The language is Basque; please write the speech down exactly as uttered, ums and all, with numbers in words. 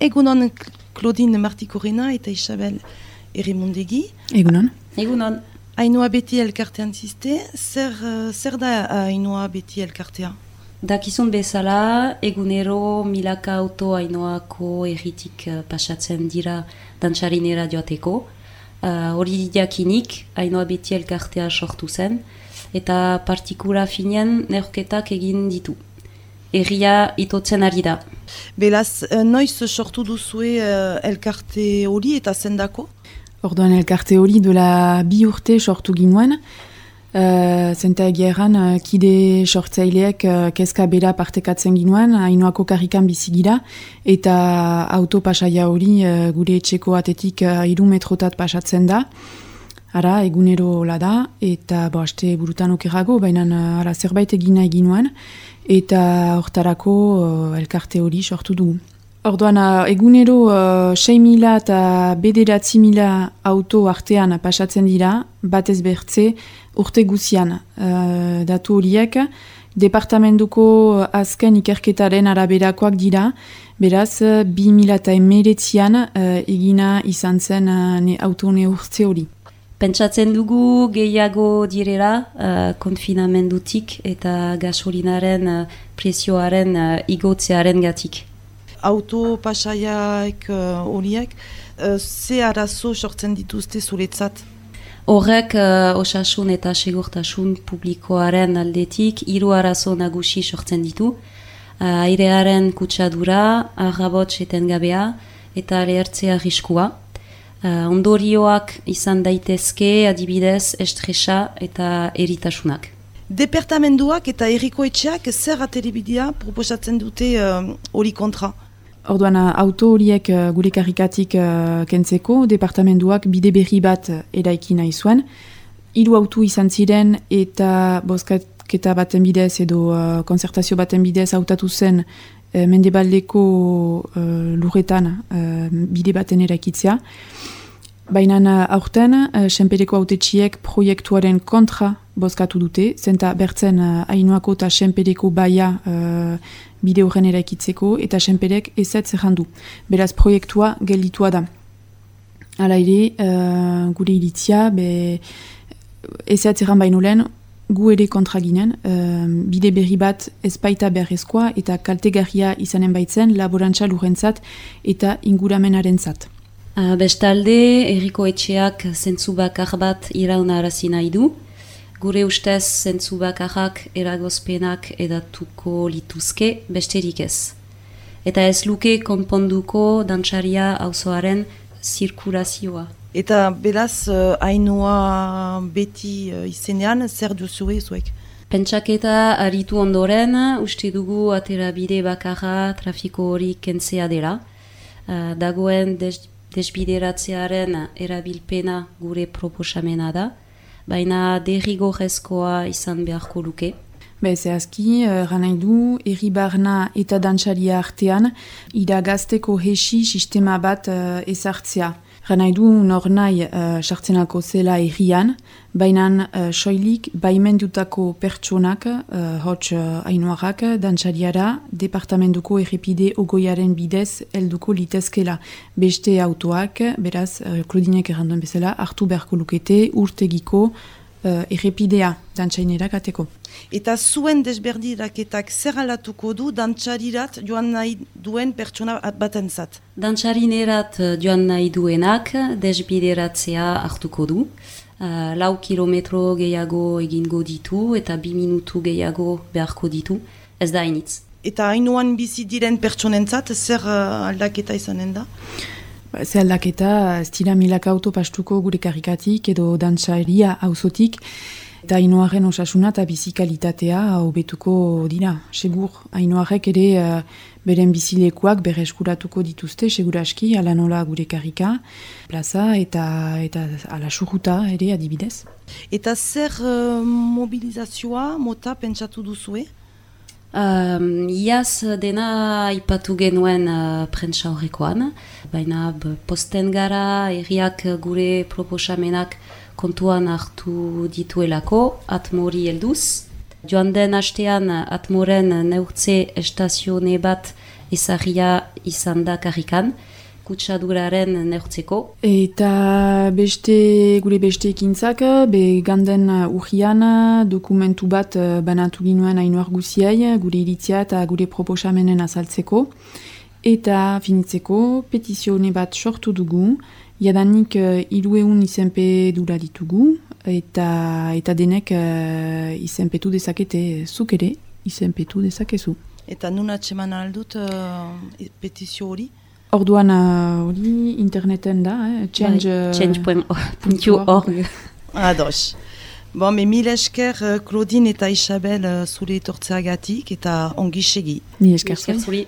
Egunon Claudine Martikorena eta Isabel Erimundegi. Egunon. Egunon. Ainhoa Beti elkartean ziste, zer, uh, zer da Ainhoa Beti elkartea? Dakizun bezala, egunero milaka auto Ainhoako erritik uh, pasatzen dira dantxarinera joateko. Hori uh, jakinik, Ainhoa Beti elkartea sortu zen, eta partikula finean neurketak egin ditu. Erria itotzen ari da. Belaz, noiz sortu duzue uh, elkarte hori eta zendako? Orduan elkarte hori dola bi urte sortu ginuen. Uh, Zenta egeran, uh, kide sortzaileek uh, kezka bera partekatzen ginuen, Ainhoako karrikan bizigira, eta autopasaia hori uh, gure etxeko atetik uh, hiru metrotat pasatzen da. Ara, egunero la da, eta bo, aste burutan okerrago, baina uh, ara, zerbait egina egin nuen, eta hortarako uh, elkarte hori sortu dugu. Orduan, uh, egunero uh, sei mila eta bederatzi mila auto artean pasatzen dira, batez bertze urte guzian. Uh, datu horiek, departamentuko azken ikerketaren araberakoak dira, beraz, bi mila eta emeretzian uh, egina izan zen uh, ne, auto neurtze hori. Pentsatzen dugu gehiago direla uh, konfinamendutik eta gasolinaren uh, prezioaren uh, igotzearen gatik. Auto pasaiaek horiek, uh, uh, ze arazo sortzen dituzte zuretzat? Horrek uh, osasun eta segurtasun publikoaren aldetik hiru arazo nagusi sortzen ditu. Uh, airearen kutsadura, arrabots etengabea eta lehertzea arriskua. Uh, ondorioak izan daitezke adibidez estresa eta eritasunak. Departamentuak eta herriko etxeak zer ateribidea proposatzen dute hori uh, kontra? Orduan, auto horiek uh, gure karrikatik uh, kentzeko, departamentuak bide berri bat eraiki nahi zuen. Hiru auto izan ziren eta bozketa baten bidez edo uh, konzertazio baten bidez hautatu zen uh, mendebaldeko uh, lurretan uh, bide baten eraikitzea. Baina aurten, uh, Senpereko autetxiek proiektuaren kontra bozkatu dute, zenta bertzen uh, Ainhoako eta Senpereko baia uh, bide horren eraikitzeko, eta Senperek ezetz errandu. Beraz, proiektua gelditua da. Hala ere, uh, gure iritzia, be, ezetz erran baino lehen, gu ere kontra ginen, uh, bide berri bat ezpaita beharrezkoa eta kaltegarria izanen baitzen laborantza lurrentzat eta inguramenarentzat. Uh, bestalde, herriko etxeak zentzu bakar bat iraunarazi nahi du. Gure ustez zentzu bakarrak eragozpenak edatuko lituzke besterik ez. Eta ez luke konponduko dantxaria auzoaren zirkulazioa. Eta beraz, uh, Ainhoa Beti uh, izenean zer duzue zuek? Pentsaketa aritu ondoren, uste dugu aterabide bakarra trafiko hori kentzea dela. Uh, dagoen des desbideratzearen erabilpena gure proposamena da, baina derrigorrezkoa izan beharko luke. Be, zehazki, erran nahi du, herri barna eta dantxaria artean, iragazteko hesi sistema bat uh, ezartzea. Erran nahi du, nor nahi uh, sartzenako zela herrian, baina uh, soilik baimendutako pertsonak, uh, hots uh, Ainhoarrak, dantxariara, departamentuko errepide ogoiaren bidez helduko litezkela. Beste autoak, beraz, uh, Claudinek erranduen bezala, hartu beharko lukete urtegiko uh, errepidea dantxainerak ateko. Eta zuen desberdiraketak zer alatuko du dantxarirat joan nahi duen pertsona batentzat? Dantxarinerat joan nahi duenak desbideratzea hartuko du. Uh, lau kilometro gehiago egingo ditu eta bi minutu gehiago beharko ditu. Ez da hainitz. Eta Ainhoan bizi diren pertsonentzat zer uh, aldaketa izanen da? Ba, ze aldaketa, ez dira milaka auto pastuko gure karrikatik edo dantxaria auzotik, eta Ainhoaren osasuna eta bizikalitatea hobetuko dira. Segur, Ainhoarek ere uh, beren bizilekuak bere eskuratuko dituzte, seguraski, ala nola gure karrika, plaza eta, eta ala surruta ere adibidez. Eta zer uh, mobilizazioa mota pentsatu duzue? Um, iaz dena ipatu genuen uh, prentsa horrekoan, baina posten gara herriak gure proposamenak kontuan hartu dituelako, atmori helduz. Joan den hastean atmoren neurtze estazione bat ezarria izan da karrikan, kutsaduraren neurtzeko. Eta beste, gure beste ekintzak, be ganden urrian dokumentu bat banatu ginuen hainu argusiai, gure iritzia eta gure proposamenen azaltzeko. Eta finitzeko, petizione bat sortu dugu, jadanik hiruehun izenpe dura ditugu, eta, eta denek uh, izenpetu dezakete zuk ere, izenpetu dezakezu. Eta nun atseman aldut uh, petizio hori? Orduan hori uh, interneten da, eh? change puntu org. Ados. Bon, me mil esker Claudine eta Isabel zure etortzeagatik eta ongi segi. Ni esker zuri.